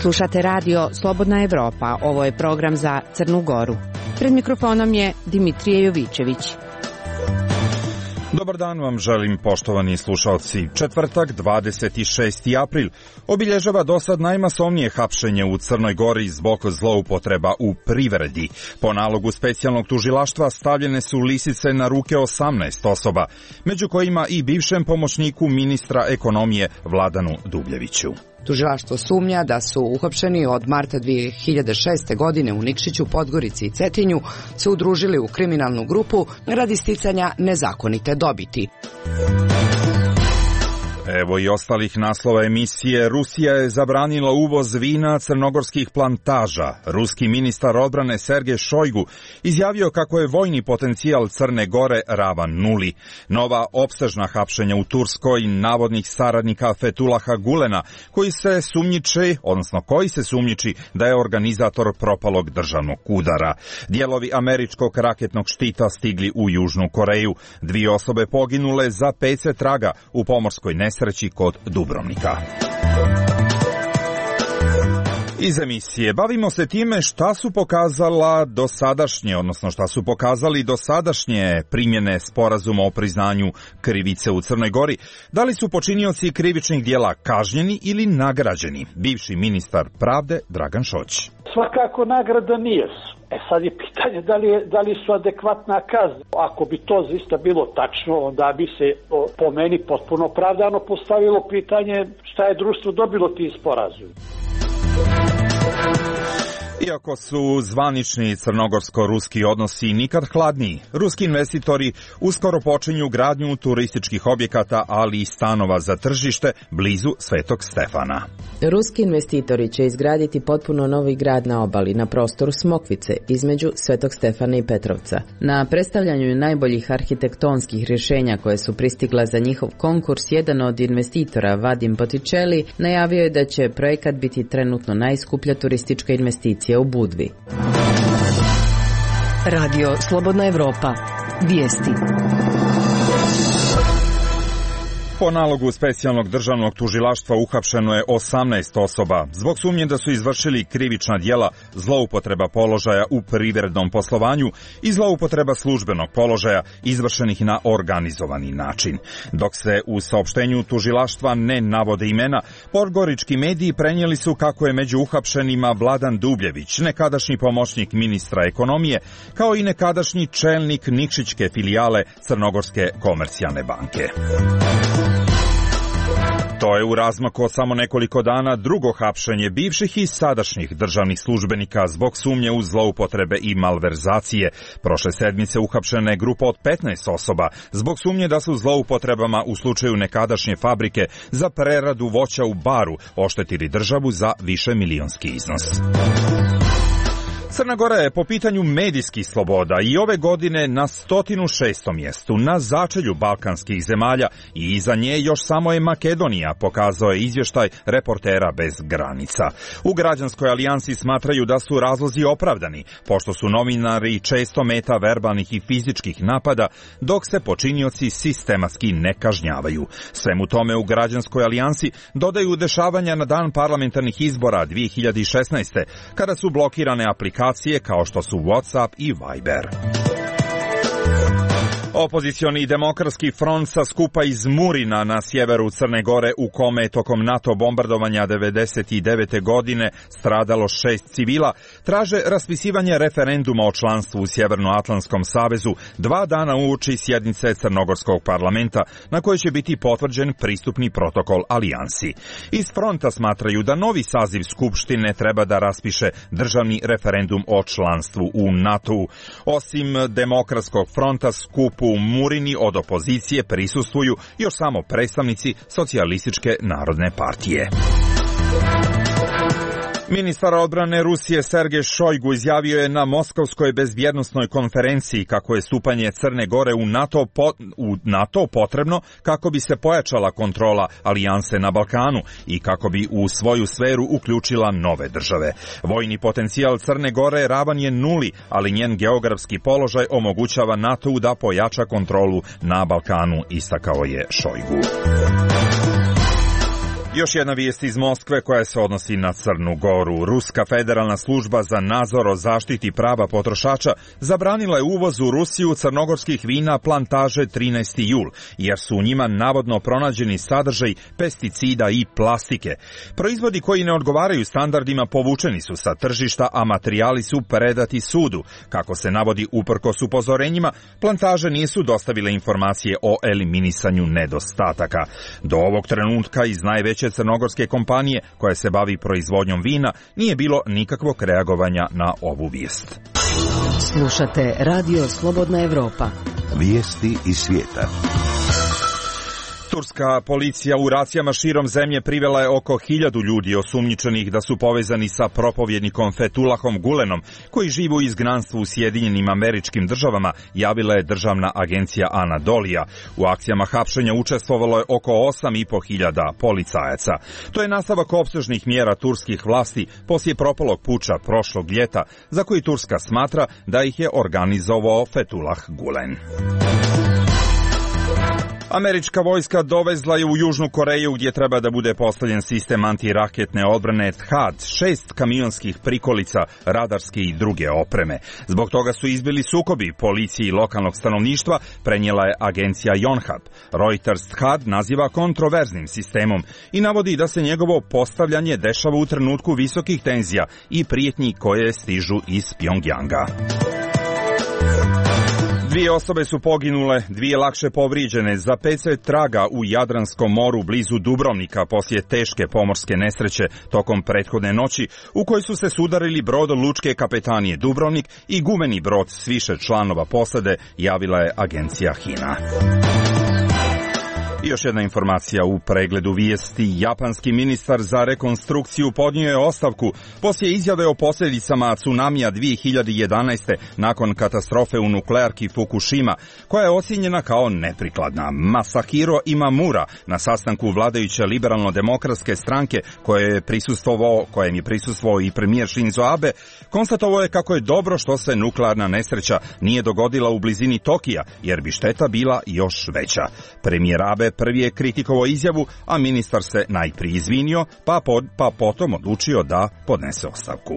Slušate radio Slobodna Evropa. Ovo je program za Crnu Goru. Pred mikrofonom je Dimitrije Jovićević. Dobar dan vam želim, poštovani slušalci. Četvrtak, 26. april, obilježava dosad najmasovnije hapšenje u Crnoj Gori zbog zloupotreba u privredi. Po nalogu specijalnog tužilaštva stavljene su lisice na ruke 18 osoba, među kojima i bivšem pomoćniku ministra ekonomije Vladanu Dubljeviću. Tužilaštvo sumnja da su uhapšeni od marta 2006. godine u Nikšiću, Podgorici i Cetinju se udružili u kriminalnu grupu radi sticanja nezakonite dobiti. Evo i ostalih naslova emisije. Rusija je zabranila uvoz vina crnogorskih plantaža. Ruski ministar odbrane Sergej Šojgu izjavio kako je vojni potencijal Crne Gore ravan nuli. Nova opsežna hapšenja u Turskoj navodnih saradnika Fetulaha Gulena, koji se sumnjiči da je organizator propalog državnog udara. Dijelovi američkog raketnog štita stigli u Južnu Koreju. 2 osobe poginule, za 5 se traga u pomorskoj nesreći kod Dubrovnika. Iz emisije bavimo se time šta su pokazali dosadašnje primjene sporazuma o priznanju krivice u Crnoj Gori. Da li su počinioci krivičnih djela kažnjeni ili nagrađeni? Bivši ministar pravde Dragan Šoć. Svakako nagrada nije. Sad je pitanje da li su adekvatna kazna. Ako bi to zaista bilo tačno, onda bi se po meni potpuno opravdano postavilo pitanje šta je društvo dobilo tim sporazum. Iako su zvanični crnogorsko-ruski odnosi nikad hladniji, ruski investitori uskoro počinju gradnju turističkih objekata, ali i stanova za tržište blizu Svetog Stefana. Ruski investitori će izgraditi potpuno novi grad na obali, na prostoru Smokvice, između Svetog Stefana i Petrovca. Na predstavljanju najboljih arhitektonskih rješenja koje su pristigla za njihov konkurs, jedan od investitora, Vadim Botticelli, najavio je da će projekat biti trenutno najskuplja turistička investicija u Budvi. Radio Slobodna Evropa. Vijesti. Po nalogu specijalnog državnog tužilaštva uhapšeno je 18 osoba zbog sumnje da su izvršili krivična djela zloupotreba položaja u privrednom poslovanju i zloupotreba službenog položaja izvršenih na organizovani način. Dok se u saopštenju tužilaštva ne navode imena, podgorički mediji prenijeli su kako je među uhapšenima Vladan Dubljević, nekadašnji pomoćnik ministra ekonomije, kao i nekadašnji čelnik Nikšićke filijale Crnogorske komercijalne banke. To je u razmaku od samo nekoliko dana drugo hapšenje bivših i sadašnjih državnih službenika zbog sumnje u zloupotrebe i malverzacije. Prošle sedmice uhapšena je grupa od 15 osoba zbog sumnje da su zloupotrebama u slučaju nekadašnje fabrike za preradu voća u Baru oštetili državu za višemilionski iznos. Crna Gora je po pitanju medijskih sloboda i ove godine na 106. mjestu na začelju balkanskih zemalja i iza nje još samo je Makedonija, pokazao je izvještaj Reportera bez granica. U Građanskoj alijansi smatraju da su razlozi opravdani, pošto su novinari često meta verbalnih i fizičkih napada, dok se počinioci sistematski ne kažnjavaju. Svemu tome u Građanskoj alijansi dodaju dešavanja na dan parlamentarnih izbora 2016. kada su blokirane aplikacije kao što su WhatsApp i Viber. Opozicioni demokratski front sa skupa iz Murina na sjeveru Crne Gore, u kome je tokom NATO bombardovanja 1999. godine stradalo 6 civila, traže raspisivanje referenduma o članstvu u Sjevernoatlantskom savezu 2 dana uoči sjednice Crnogorskog parlamenta, na kojoj će biti potvrđen pristupni protokol alijansi. Iz fronta smatraju da novi saziv Skupštine treba da raspiše državni referendum o članstvu u NATO-u. Osim demokratskog fronta, skupu u Murini od opozicije prisustvuju još samo predstavnici Socijalističke narodne partije. Ministar odbrane Rusije Sergej Šojgu izjavio je na Moskovskoj bezbjednosnoj konferenciji kako je stupanje Crne Gore u NATO potrebno kako bi se pojačala kontrola alijanse na Balkanu i kako bi u svoju sferu uključila nove države. Vojni potencijal Crne Gore ravan je nuli, ali njen geografski položaj omogućava NATO-u da pojača kontrolu na Balkanu, istakao je Šojgu. Još jedna vijest iz Moskve koja se odnosi na Crnu Goru. Ruska federalna služba za nadzor o zaštiti prava potrošača zabranila je uvoz u Rusiju crnogorskih vina plantaže 13. jul, jer su u njima navodno pronađeni sadržaj pesticida i plastike. Proizvodi koji ne odgovaraju standardima povučeni su sa tržišta, a materijali su predati sudu. Kako se navodi uprkos upozorenjima, plantaže nisu dostavile informacije o eliminisanju nedostataka. Do ovog trenutka iz najveće crnogorske kompanije koja se bavi proizvodnjom vina nije bilo nikakvog reagovanja na ovu vijest. Slušate Radio Slobodna Evropa. Vijesti iz svijeta. Turska policija u racijama širom zemlje privela je oko 1000 ljudi osumnjičenih da su povezani sa propovjednikom Fethullahom Gulenom, koji živi u izgnanstvu u Sjedinjenim Američkim Državama, javila je državna agencija Anadolija. U akcijama hapšenja učestvovalo je oko 8.500 policajaca. To je nastavak opsežnih mjera turskih vlasti poslije propalog puča prošlog ljeta, za koji Turska smatra da ih je organizovao Fethullah Gulen. Američka vojska dovezla je u Južnu Koreju, gdje treba da bude postavljen sistem antiraketne odbrane THAAD, 6 kamionskih prikolica, radarske i druge opreme. Zbog toga su izbili sukobi policiji i lokalnog stanovništva, prenijela je agencija Yonhap. Reuters THAAD naziva kontroverznim sistemom i navodi da se njegovo postavljanje dešava u trenutku visokih tenzija i prijetnji koje stižu iz Pjongjanga. 2 osobe su poginule, 2 lakše povrijeđene. Za 5 se traga u Jadranskom moru blizu Dubrovnika poslije teške pomorske nesreće tokom prethodne noći u kojoj su se sudarili brod lučke kapetanije Dubrovnik i gumeni brod s više članova posade, javila je agencija HINA. I još jedna informacija u pregledu vijesti. Japanski ministar za rekonstrukciju podnio je ostavku poslije izjave o posljedicama tsunamija 2011. nakon katastrofe u nuklearki Fukushima, koja je ocijenjena kao neprikladna. Masahiro Imamura na sastanku vladajuće liberalno-demokratske stranke kojem je prisustvovao i premijer Shinzo Abe, konstatovao je kako je dobro što se nuklearna nesreća nije dogodila u blizini Tokija, jer bi šteta bila još veća. Premijer Abe prvi je kritikovao izjavu, a ministar se najprije izvinio, pa potom odlučio da podnese ostavku.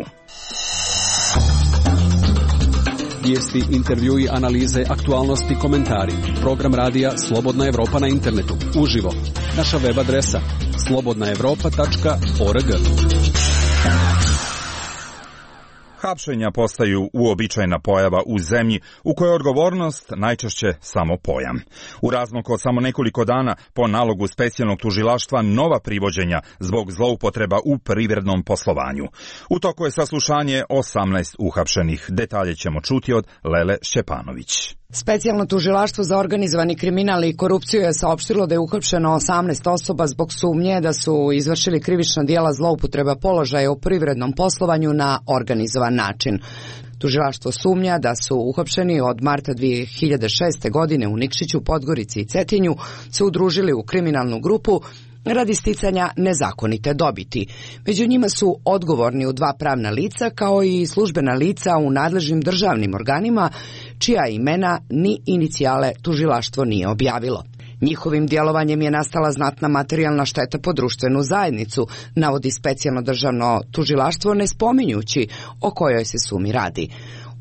Vijesti, intervjui, analize, aktualnosti, komentari. Program radija Slobodna Evropa na internetu. Uživo. Naša web adresa slobodnaevropa.org. Hapšenja postaju uobičajena pojava u zemlji u kojoj je odgovornost najčešće samo pojam. U razmaku od samo nekoliko dana po nalogu specijalnog tužilaštva nova privođenja zbog zloupotreba u privrednom poslovanju. U toku je saslušanje 18 uhapšenih. Detalje ćemo čuti od Lele Šćepanović. Specijalno tužilaštvo za organizovani kriminal i korupciju je saopštilo da je uhapšeno 18 osoba zbog sumnje da su izvršili krivična djela zloupotreba položaja u privrednom poslovanju na organizovan način. Tužilaštvo sumnja da su uhapšeni od marta 2006. godine u Nikšiću, Podgorici i Cetinju se udružili u kriminalnu grupu radi sticanja nezakonite dobiti. Među njima su odgovorni u 2 pravna lica kao i službena lica u nadležnim državnim organima čija imena ni inicijale tužilaštvo nije objavilo. Njihovim djelovanjem je nastala znatna materijalna šteta po društvenu zajednicu, navodi specijalno državno tužilaštvo ne spominjući o kojoj se sumi radi.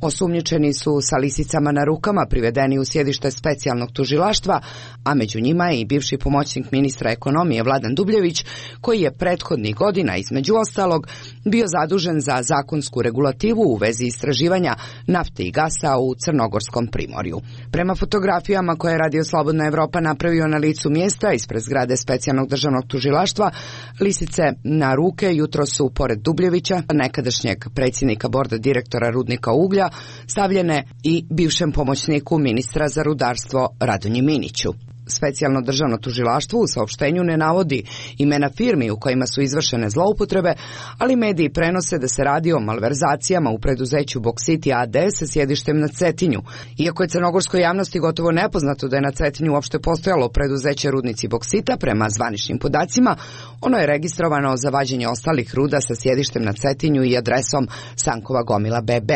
Osumnjičeni su sa lisicama na rukama privedeni u sjedište specijalnog tužilaštva, a među njima je i bivši pomoćnik ministra ekonomije Vladan Dubljević, koji je prethodnih godina, između ostalog, bio zadužen za zakonsku regulativu u vezi istraživanja nafte i gasa u Crnogorskom primorju. Prema fotografijama koje je Radio Slobodna Evropa napravio na licu mjesta ispred zgrade specijalnog državnog tužilaštva, lisice na ruke jutro su, pored Dubljevića, nekadašnjeg predsjednika borda direktora rudnika uglja, stavljene i bivšem pomoćniku ministra za rudarstvo Radonji Miniću. specijalno državno tužilaštvo u saopštenju ne navodi imena firmi u kojima su izvršene zloupotrebe, ali mediji prenose da se radi o malverzacijama u preduzeću Boksiti AD sa sjedištem na Cetinju. Iako je crnogorskoj javnosti gotovo nepoznato da je na Cetinju uopšte postojalo preduzeće Rudnici Boksita, prema zvaničnim podacima, ono je registrovano za vađenje ostalih ruda sa sjedištem na Cetinju i adresom Sankova gomila BB.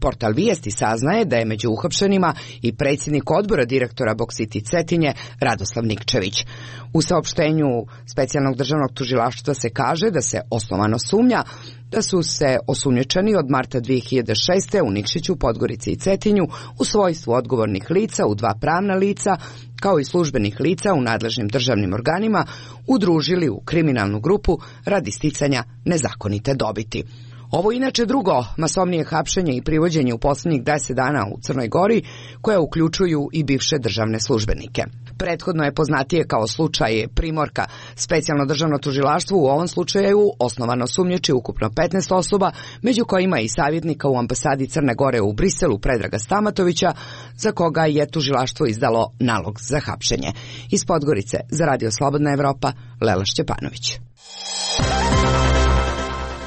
Portal Vijesti saznaje da je među uhapšenima i predsjednik odbora direktora Boksiti Cetinje Radoslav Nikčević. U saopštenju specijalnog državnog tužilaštva se kaže da se osnovano sumnja da su se osumnjičeni od marta 2006. u Nikšiću, Podgorici i Cetinju u svojstvu odgovornih lica u 2 pravna lica, kao i službenih lica u nadležnim državnim organima, udružili u kriminalnu grupu radi sticanja nezakonite dobiti. Ovo inače drugo masovnije hapšenje i privođenje u posljednjih 10 dana u Crnoj Gori, koje uključuju i bivše državne službenike. Prethodno je poznatije kao slučaj Primorka. Specijalno državno tužilaštvo u ovom slučaju osnovano sumnjiči ukupno 15 osoba, među kojima i savjetnika u ambasadi Crne Gore u Briselu Predraga Stamatovića, za koga je tužilaštvo izdalo nalog za hapšenje. Iz Podgorice za Radio Slobodna Evropa, Lela Šćepanović.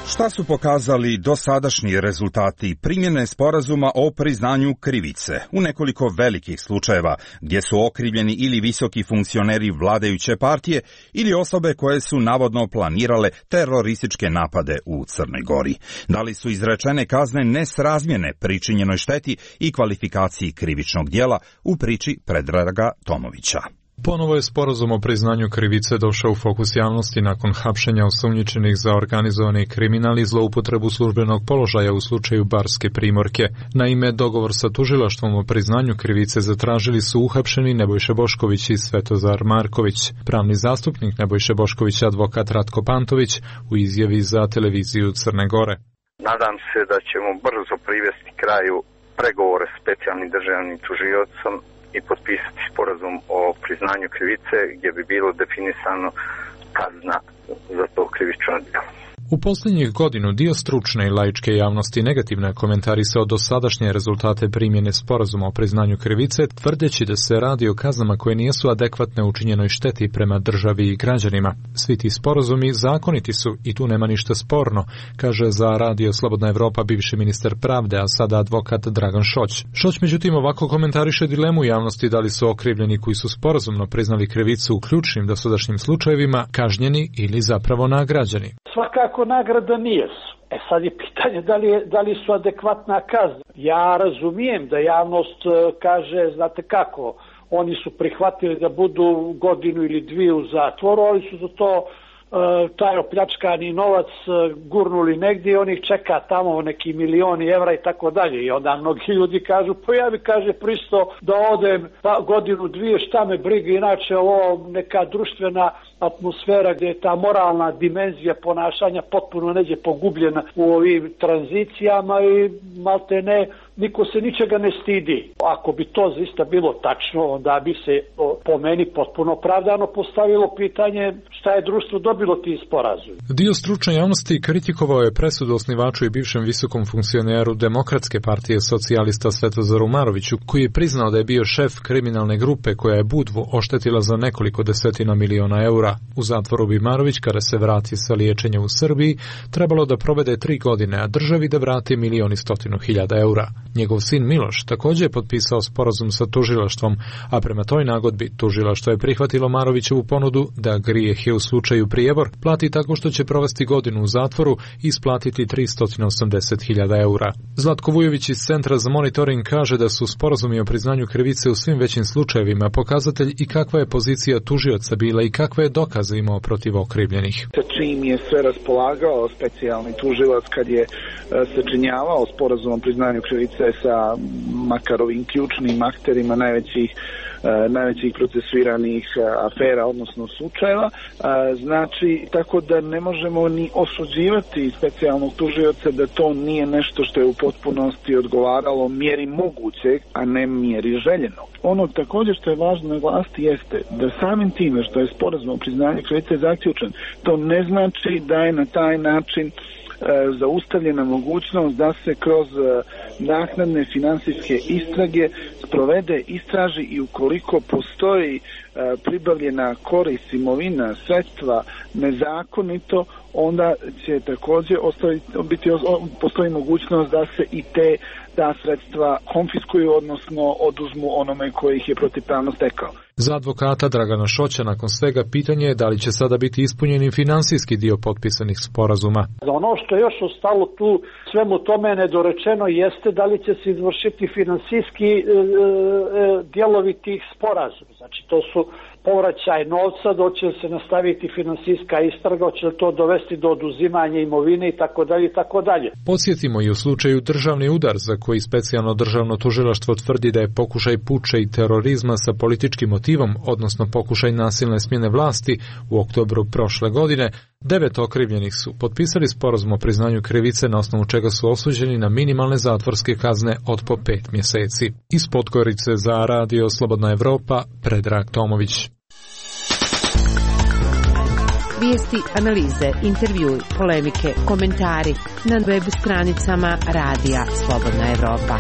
Šta su pokazali dosadašnji rezultati primjene sporazuma o priznanju krivice u nekoliko velikih slučajeva gdje su okrivljeni ili visoki funkcioneri vladajuće partije ili osobe koje su navodno planirale terorističke napade u Crnoj Gori? Da li su izrečene kazne nesrazmjerne pričinjenoj šteti i kvalifikaciji krivičnog djela u priči Predraga Tomovića? Ponovo je sporazum o priznanju krivice došao u fokus javnosti nakon hapšenja osumnjičenih za organizovani kriminal i zloupotrebu službenog položaja u slučaju Barske Primorke. Naime, dogovor sa tužilaštvom o priznanju krivice zatražili su uhapšeni Nebojša Bošković i Svetozar Marković. Pravni zastupnik Nebojše Boškovića, advokat Ratko Pantović, u izjavi za televiziju Crne Gore. Nadam se da ćemo brzo privesti kraju pregovore s specijalnim državnim tužiocom i potpisati sporazum o priznanju krivice gdje bi bilo definisano kazna za to krivično djelo. U posljednjih godinu dio stručne i laičke javnosti negativno je komentarisao dosadašnje rezultate primjene sporazuma o priznanju krivice, tvrdeći da se radi o kaznama koje nisu adekvatne učinjenoj šteti prema državi i građanima. Svi ti sporazumi zakoniti su i tu nema ništa sporno, kaže za Radio Slobodna Evropa bivši ministar pravde, a sada advokat Dragan Šoć. Šoć međutim ovako komentariše dilemu javnosti da li su okrivljeni koji su sporazumno priznali krivicu u ključnim dosadašnjim slučajevima kažnjeni ili zapravo nagrađeni. Svakako nagrada nije. Sad je pitanje da li su adekvatna kazna. Ja razumijem da javnost kaže, znate kako, oni su prihvatili da budu godinu ili dvije u zatvoru, ali su za to taj opljačkani novac gurnuli negdje i oni čeka tamo neki milioni evra i tako dalje. I onda mnogi ljudi kažu, pa ja bi pristo da odem godinu dvije, šta me briga, inače ovo neka društvena atmosfera gdje je ta moralna dimenzija ponašanja potpuno neđe pogubljena u ovim tranzicijama i malte ne, niko se ničega ne stidi. Ako bi to zaista bilo tačno, onda bi se po meni potpuno opravdano postavilo pitanje šta je društvo dobilo ti sporazum. Dio stručne javnosti kritikovao je presudu osnivaču i bivšem visokom funkcioneru Demokratske partije socijalista Svetozaru Maroviću, koji je priznao da je bio šef kriminalne grupe koja je Budvu oštetila za nekoliko desetina miliona eura. U zatvoru bi Marović, kada se vrati sa liječenja u Srbiji, trebalo da provede 3 godine, a državi da vrati 1.100.000 eura. Njegov sin Miloš također je potpisao sporazum sa tužilaštvom, a prema toj nagodbi tužilaštvo je prihvatilo Marovićevu ponudu da grijeh je u slučaju prijebor plati tako što će provesti godinu u zatvoru i isplatiti 380.000 eura. Zlatko Vujović iz Centra za monitoring kaže da su sporazumi o priznanju krivice u svim većim slučajevima pokazatelj i kakva je pozicija tužioca bila i kakve je dokaze imao protiv okrivljenih. Čim je sve raspolagao specijalni tužilac kad je sačinjavao sporazum o priznanju krivice sa makar ovim ključnim akterima najvećih procesuiranih afera, odnosno slučajeva. Znači, tako da ne možemo ni osuđivati specijalnog tužioca da to nije nešto što je u potpunosti odgovaralo mjeri mogućeg, a ne mjeri željenog. Ono također što je važno naglasiti jeste da samim time što je sporazum o priznanju krivice zaključen, to ne znači da je na taj način zaustavljena mogućnost da se kroz naknadne finansijske istrage sprovede, istraži i ukoliko postoji pribavljena korist, imovina, sredstva nezakonito, onda će također postoji mogućnost da se i ta sredstva konfiskuju, odnosno oduzmu onome koji ih je protivpravno stekao. Za advokata Dragana Šoća nakon svega pitanje je da li će sada biti ispunjen i finansijski dio potpisanih sporazuma. Ono što je još ostalo tu svemu tome nedorečeno jeste da li će se izvršiti finansijski dijelovi tih sporazuma. Znači to su povraćaj novca, doće se nastaviti finansijska istraga, će to dovesti do oduzimanja imovine i tako dalje i tako dalje. Podsjetimo i u slučaju državni udar za koji specijalno državno tužilaštvo tvrdi da je pokušaj puča i terorizma sa političkim motivom, odnosno pokušaj nasilne smjene vlasti u oktobru prošle godine, 9 okrivljenih su potpisali sporazum o priznanju krivice na osnovu čega su osuđeni na minimalne zatvorske kazne od po 5 mjeseci. Iz Podgorice za Radio Slobodna Evropa, Predrag Tomović. Vijesti, analize, intervjui, polemike, komentari na web stranicama Radija Slobodna Evropa.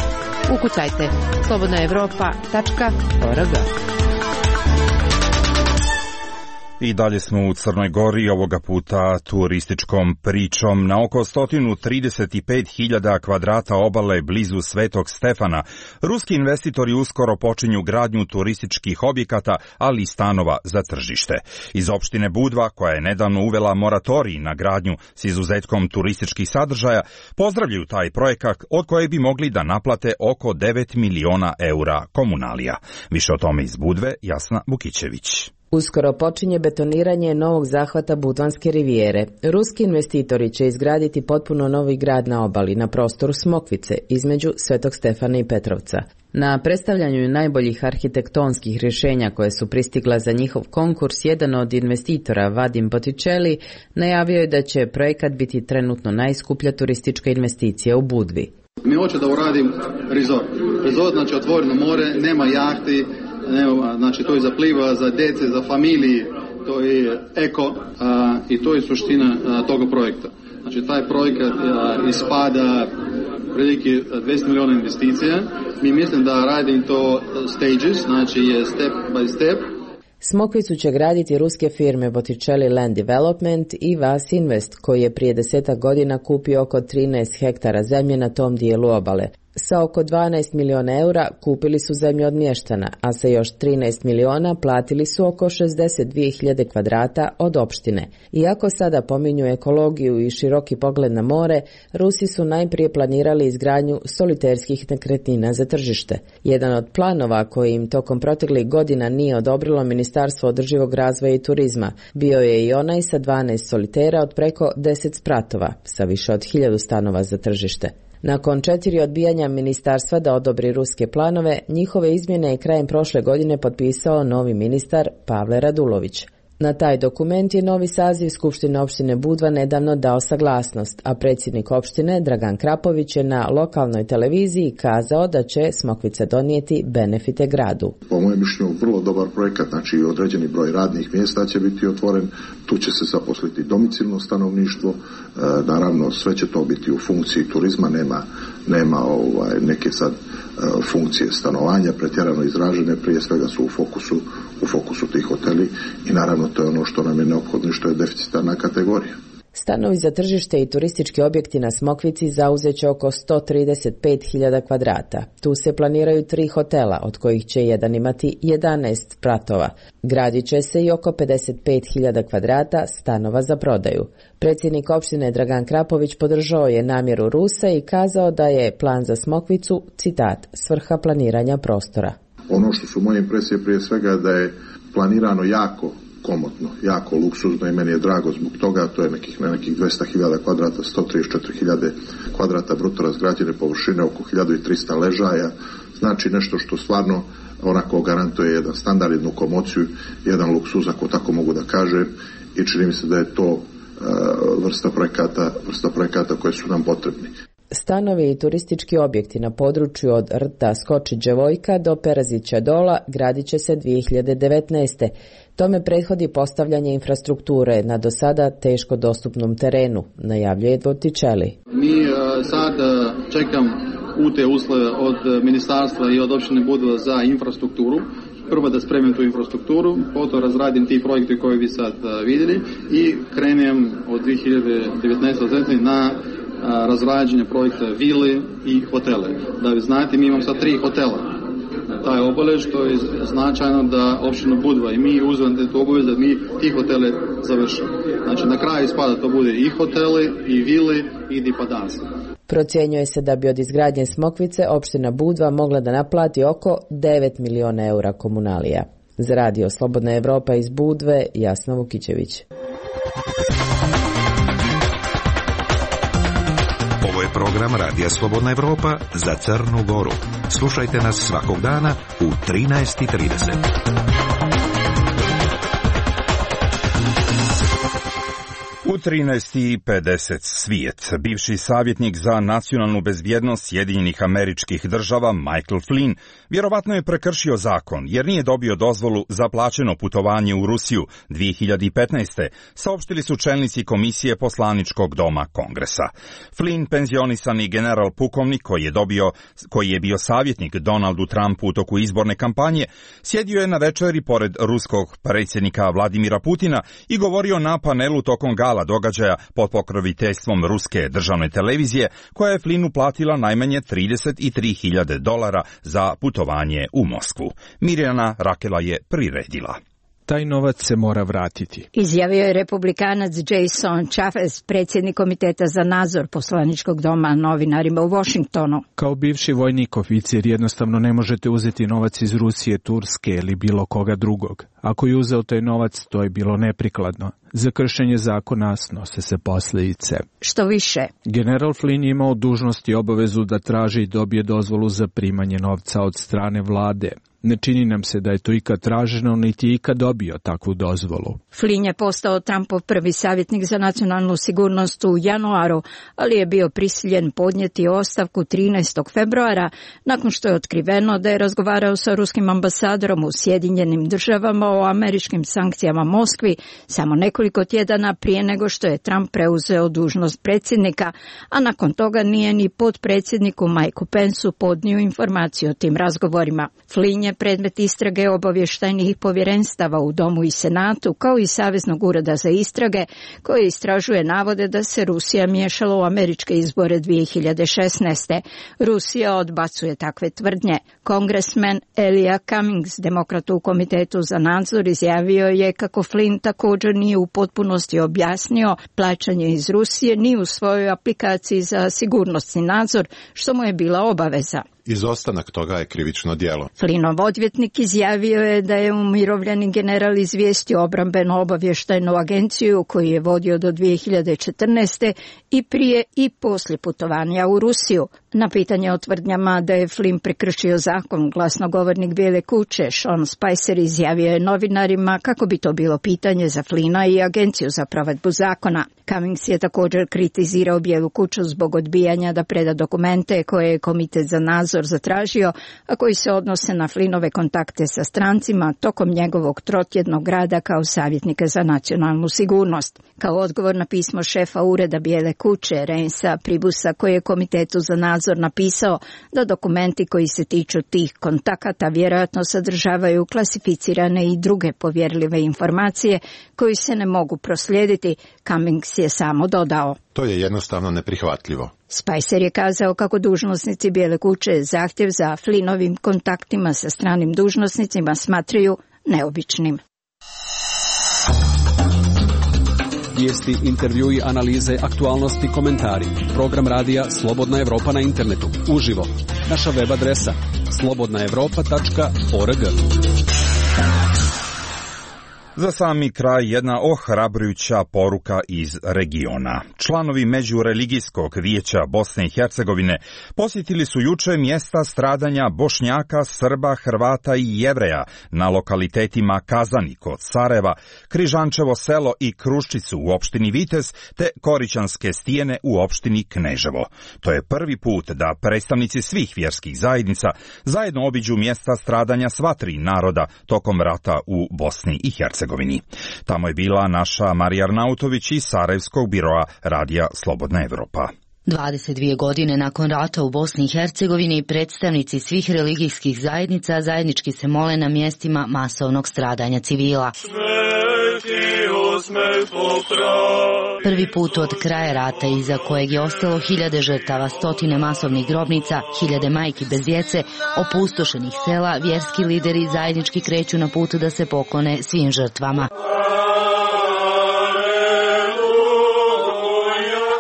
Ukucajte slobodnaevropa.org. I dalje smo u Crnoj Gori, ovoga puta turističkom pričom. Na oko 135.000 kvadrata obale blizu Svetog Stefana, ruski investitori uskoro počinju gradnju turističkih objekata, ali i stanova za tržište. Iz opštine Budva, koja je nedavno uvela moratorij na gradnju s izuzetkom turističkih sadržaja, pozdravljaju taj projekat od kojeg bi mogli da naplate oko 9 miliona eura komunalija. Više o tome iz Budve, Jasna Bukićević. Uskoro počinje betoniranje novog zahvata Budvanske rivijere. Ruski investitori će izgraditi potpuno novi grad na obali na prostoru Smokvice između Svetog Stefana i Petrovca. Na predstavljanju najboljih arhitektonskih rješenja koje su pristigla za njihov konkurs, jedan od investitora, Vadim Botticelli, najavio je da će projekat biti trenutno najskuplja turistička investicija u Budvi. Mi hoće da uradim resort. Resort znači otvoreno more, nema jahti, znači to je za pliva, za djece, za familije, to je eko i to je suština toga projekta. Znači taj projekat ispada prilike 200 miliona investicija. Mi mislim da radim to stages, znači je step by step. Smokvicu će graditi ruske firme Botticelli Land Development i Vas Invest, koji je prije 10 godina kupio oko 13 hektara zemlje na tom dijelu obale. Sa oko 12 miliona eura kupili su zemlju od mještana, a sa još 13 miliona platili su oko 62.000 kvadrata od opštine. Iako sada pominju ekologiju i široki pogled na more, Rusi su najprije planirali izgradnju soliterskih nekretnina za tržište. Jedan od planova koji im tokom proteklih godina nije odobrilo Ministarstvo održivog razvoja i turizma bio je i onaj sa 12 solitera od preko 10 spratova, sa više od 1000 stanova za tržište. Nakon 4 odbijanja ministarstva da odobri ruske planove, njihove izmjene je krajem prošle godine potpisao novi ministar Pavle Radulović. Na taj dokument je novi saziv Skupštine opštine Budva nedavno dao saglasnost, a predsjednik opštine Dragan Krapović je na lokalnoj televiziji kazao da će Smokvica donijeti benefite gradu. Po mojem mišljenju vrlo dobar projekat, znači određeni broj radnih mjesta će biti otvoren, tu će se zaposliti domicilno stanovništvo, naravno sve će to biti u funkciji turizma, nema neke sad funkcije stanovanja pretjerano izražene, prije svega su u fokusu tih hoteli i naravno to je ono što nam je neophodno i što je deficitarna kategorija. Stanovi za tržište i turistički objekti na Smokvici zauzeće oko 135.000 kvadrata. Tu se planiraju 3 hotela, od kojih će jedan imati 11 spratova. Gradit će se i oko 55.000 kvadrata stanova za prodaju. Predsjednik opštine Dragan Krapović podržao je namjeru Rusa i kazao da je plan za Smokvicu, citat, svrha planiranja prostora. Ono što su moje impresije prije svega da je planirano jako komotno, jako luksuzno i meni je drago zbog toga, to je na nekih 200.000 kvadrata, 134.000 kvadrata bruto razgrađene površine, oko 1.300 ležaja, znači nešto što stvarno onako garantuje jedan standard, jednu komociju, jedan luksuz, ako tako mogu da kažem, i čini mi se da je to vrsta projekata koje su nam potrebni. Stanovi i turistički objekti na području od rta Skoči-Đevojka do Perazića Dola gradit će se 2019. Tome prethodi postavljanje infrastrukture na do sada teško dostupnom terenu, najavljuje Dvotičeli. Mi sad čekam te uslove od ministarstva i od opštine Budva za infrastrukturu. Prvo da spremim tu infrastrukturu, potom razradim ti projekte koje vi sad vidjeli i krenem od 2019. na razrađenje projekta vile i hotele. Da vi znate, mi imamo sad 3 hotela. Taj obavez, što je značajno da opština Budva i mi uzmemo tu obavez da mi ti hotele završimo. Znači na kraju ispada to bude i hotele, i vile, i dipadanse. Procjenjuje se da bi od izgradnje Smokvice opština Budva mogla da naplati oko 9 miliona eura komunalija. Za radio Slobodna Evropa iz Budve, Jasna Vukićević. Ovo je program Radija Slobodna Evropa za Crnu Goru. Slušajte nas svakog dana u 13:30. U 13:50 svijet. Bivši savjetnik za nacionalnu bezbjednost Sjedinjenih Američkih Država Michael Flynn vjerovatno je prekršio zakon jer nije dobio dozvolu za plaćeno putovanje u Rusiju 2015. saopštili su čelnici Komisije poslaničkog doma Kongresa. Flynn, penzionisani general pukovnik koji je bio savjetnik Donaldu Trumpu u toku izborne kampanje, sjedio je na večeri pored ruskog predsjednika Vladimira Putina i govorio na panelu tokom gala događaja pod pokroviteljstvom ruske državne televizije, koja je Flynnu platila najmanje $33.000 za putovanje u Moskvu. Mirjana Rakela je priredila. Taj novac se mora vratiti, izjavio je republikanac Jason Chaffetz, predsjednik komiteta za nadzor poslaničkog doma, novinarima u Washingtonu. Kao bivši vojnik oficir jednostavno ne možete uzeti novac iz Rusije, Turske ili bilo koga drugog. Ako je uzeo taj novac, to je bilo neprikladno. Za kršenje zakona snose se posljedice. Što više, general Flynn je imao dužnost i obavezu da traži i dobije dozvolu za primanje novca od strane vlade. Ne čini nam se da je to ikad traženo, niti ikad dobio takvu dozvolu. Flynn je postao Trumpov prvi savjetnik za nacionalnu sigurnost u januaru, ali je bio prisiljen podnijeti ostavku 13. februara nakon što je otkriveno da je razgovarao sa ruskim ambasadorom u Sjedinjenim Državama o američkim sankcijama Moskvi samo nekoliko tjedana prije nego što je Trump preuzeo dužnost predsjednika, a nakon toga nije ni potpredsjedniku Mikeu Penceu podnio informaciju o tim razgovorima. Flynn je predmet istrage obavještajnih povjerenstava u Domu i Senatu, kao i Saveznog ureda za istrage, koji istražuje navode da se Rusija miješala u američke izbore 2016. Rusija odbacuje takve tvrdnje. Kongresmen Elijah Cummings, demokrat u komitetu za nadzor, izjavio je kako Flynn također nije u potpunosti objasnio plaćanje iz Rusije ni u svojoj aplikaciji za sigurnosni nadzor, što mu je bila obaveza. Izostanak toga je krivično djelo. Flynnov odvjetnik izjavio je da je umirovljeni general izvijestio obrambenu obavještajnu agenciju koju je vodio do 2014. i prije i poslije putovanja u Rusiju. Na pitanje o tvrdnjama da je Flynn prekršio zakon, glasnogovornik Bijele kuće Sean Spicer izjavio je novinarima kako bi to bilo pitanje za Flynna i agenciju za provedbu zakona. Cummings je također kritizirao Bijelu kuću zbog odbijanja da preda dokumente koje je komitet za nadzor zatražio, a koji se odnose na Flynnove kontakte sa strancima tokom njegovog trotjednog rada kao savjetnika za nacionalnu sigurnost. Kao odgovor na pismo šefa ureda Bijele kuće Reinsa Pribusa, koji je komitetu za nadzor napisao da dokumenti koji se tiču tih kontakata vjerojatno sadržavaju klasificirane i druge povjerljive informacije koji se ne mogu proslijediti, Cummings je samo dodao: to je jednostavno neprihvatljivo. Spicer je kazao kako dužnosnici Bijele kuće zahtjev za Flynnovim kontaktima sa stranim dužnosnicima smatraju neobičnim. Vijesti, intervjui, analize, aktualnosti, komentari. Program radija Slobodna Evropa na internetu. Uživo. Naša web adresa slobodnaevropa.org. Za sami kraj jedna ohrabrujuća poruka iz regiona. Članovi Međureligijskog vijeća Bosne i Hercegovine posjetili su juče mjesta stradanja Bošnjaka, Srba, Hrvata i Jevreja na lokalitetima Kazani kod Sarajeva, Križančevo selo i Kruščicu u opštini Vitez te Korićanske stijene u opštini Kneževo. To je prvi put da predstavnici svih vjerskih zajednica zajedno obiđu mjesta stradanja sva tri naroda tokom rata u Bosni i Hercegovini. Tamo je bila naša Marija Arnautović iz Sarajevskog biroa Radija Slobodna Evropa. 22 godine nakon rata u Bosni i Hercegovini predstavnici svih religijskih zajednica zajednički se mole na mjestima masovnog stradanja civila. Prvi put od kraja rata iza kojeg je ostalo hiljade žrtava, stotine masovnih grobnica, hiljade majki bez djece, opustošenih sela, vjerski lideri zajednički kreću na put da se poklone svim žrtvama.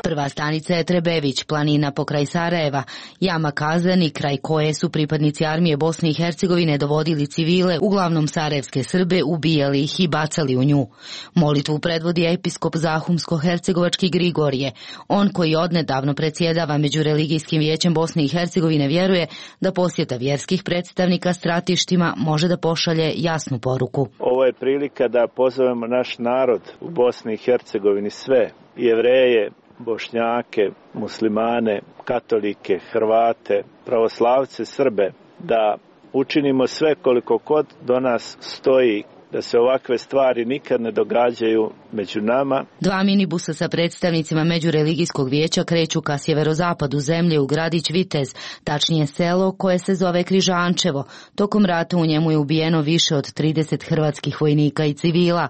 Prva stanica je Trebević, planina pokraj Sarajeva, jama Kazani, kraj koje su pripadnici armije Bosne i Hercegovine dovodili civile, uglavnom sarajevske Srbe, ubijali ih i bacali u nju. Molitvu predvodi episkop Zahumsko-hercegovački Grigorije. On koji odnedavno predsjedava Međureligijskim vijećem Bosne i Hercegovine vjeruje da posjeta vjerskih predstavnika stratištima može da pošalje jasnu poruku. Ovo je prilika da pozovemo naš narod u Bosni i Hercegovini, sve Jevreje, Bošnjake, muslimane, katolike, Hrvate, pravoslavce, Srbe, da učinimo sve koliko god do nas stoji da se ovakve stvari nikad ne događaju među nama. Dva minibusa sa predstavnicima Međureligijskog vijeća kreću ka sjeverozapadu zemlje u gradić Vitez, tačnije selo koje se zove Križančevo. Tokom rata u njemu je ubijeno više od 30 hrvatskih vojnika i civila.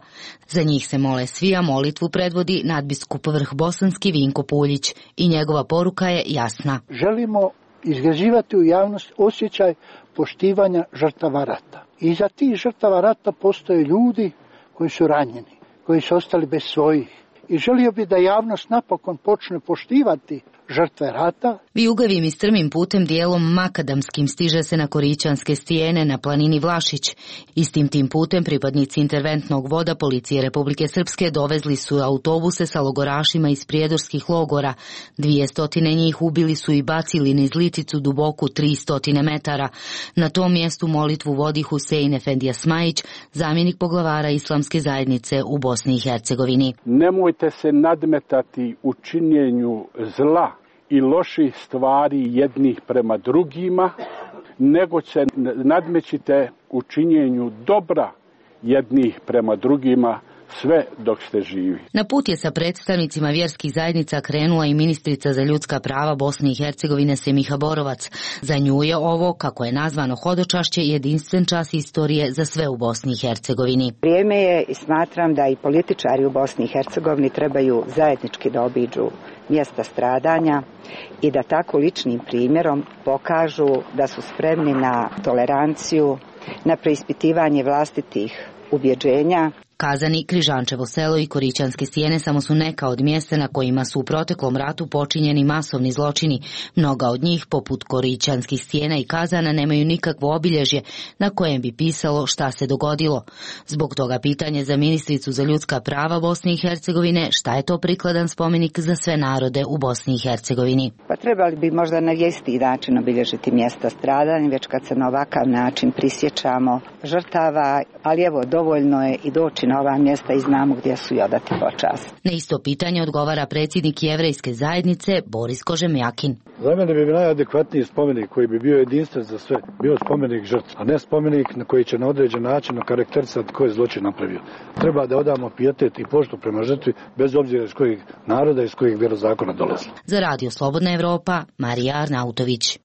Za njih se mole svi, a molitvu predvodi nadbiskup Vrhbosanski Vinko Puljić i njegova poruka je jasna. Želimo izgrađivati u javnost osjećaj poštivanja žrtava rata. Iza tih žrtava rata postoje ljudi koji su ranjeni, koji su ostali bez svojih. I želio bi da javnost napokon počne poštivati žrtve rata. Vijugavim i strmim putem dijelom makadamskim stiže se na Korićanske stijene na planini Vlašić. Istim tim putem pripadnici interventnog voda policije Republike Srpske dovezli su autobuse sa logorašima iz prijedorskih logora. 200 njih ubili su i bacili niz Liticu duboku 300 metara. Na tom mjestu molitvu vodi Husein Efendija Smajić, zamjenik poglavara Islamske zajednice u Bosni i Hercegovini. Nemojte se nadmetati u činjenju zla i loših stvari jednih prema drugima, nego se nadmećite u činjenju dobra jednih prema drugima, sve dok ste živi. Na put je sa predstavnicima vjerskih zajednica krenula i ministrica za ljudska prava Bosne i Hercegovine Semiha Borovac. Za nju je ovo, kako je nazvano hodočašće, jedinstven čas istorije za sve u Bosni i Hercegovini. Vrijeme je i smatram da i političari u Bosni i Hercegovini trebaju zajednički da obiđu mjesta stradanja i da tako ličnim primjerom pokažu da su spremni na toleranciju, na preispitivanje vlastitih ubjeđenja. Kazani, Križančevo selo i Korićanske stijene samo su neka od mjesta na kojima su u proteklom ratu počinjeni masovni zločini. Mnoga od njih, poput Korićanskih stijena i Kazana, nemaju nikakvo obilježje na kojem bi pisalo šta se dogodilo. Zbog toga pitanje za ministricu za ljudska prava Bosne i Hercegovine, šta je to prikladan spomenik za sve narode u Bosni i Hercegovini. Pa trebali bi možda na isti način obilježiti mjesta stradanja, već kad se na ovakav način prisjećamo žrtava, ali evo dovoljno je i doći na ova mjesta i znamo gdje su i odati počast. Na isto pitanje odgovara predsjednik Jevrejske zajednice Boris Kožemjakin. Za mene bi najadekvatniji spomenik koji bi bio jedinstven za sve, bio spomenik žrtve, a ne spomenik na koji će na određen način okarakterisati ko je zločin napravio. Treba da odamo pijetet i poštu prema žrtvi, bez obzira iz kojeg naroda i iz kojeg vjerozakona dolazi. Za Radio Slobodna Evropa, Marija Arnautović.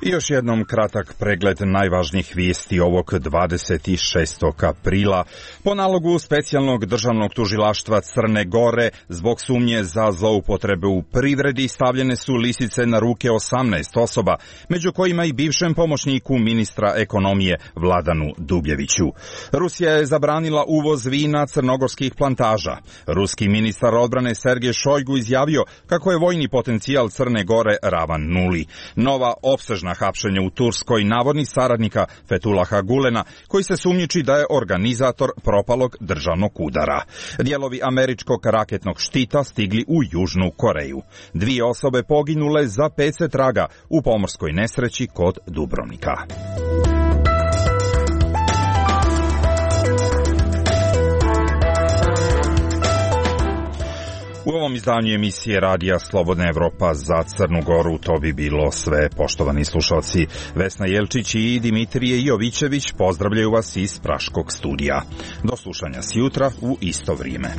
I još jednom kratak pregled najvažnijih vijesti ovog 26. aprila. Po nalogu specijalnog državnog tužilaštva Crne Gore, zbog sumnje za zloupotrebe u privredi stavljene su lisice na ruke 18 osoba, među kojima i bivšem pomoćniku ministra ekonomije Vladanu Dubljeviću. Rusija je zabranila uvoz vina crnogorskih plantaža. Ruski ministar odbrane Sergej Šojgu izjavio kako je vojni potencijal Crne Gore ravan nuli. Nova opsežna na hapšenje u Turskoj navodnih saradnika Fethullaha Gulena, koji se sumnjiči da je organizator propalog državnog udara. Dijelovi američkog raketnog štita stigli u Južnu Koreju. 2 osobe poginule, za 5 se traga u pomorskoj nesreći kod Dubrovnika. U ovom izdanju emisije Radija Slobodna Evropa za Crnu Goru to bi bilo sve, poštovani slušalci. Vesna Jelčić i Dimitrije Jovićević pozdravljaju vas iz Praškog studija. Do slušanja sjutra u isto vrijeme.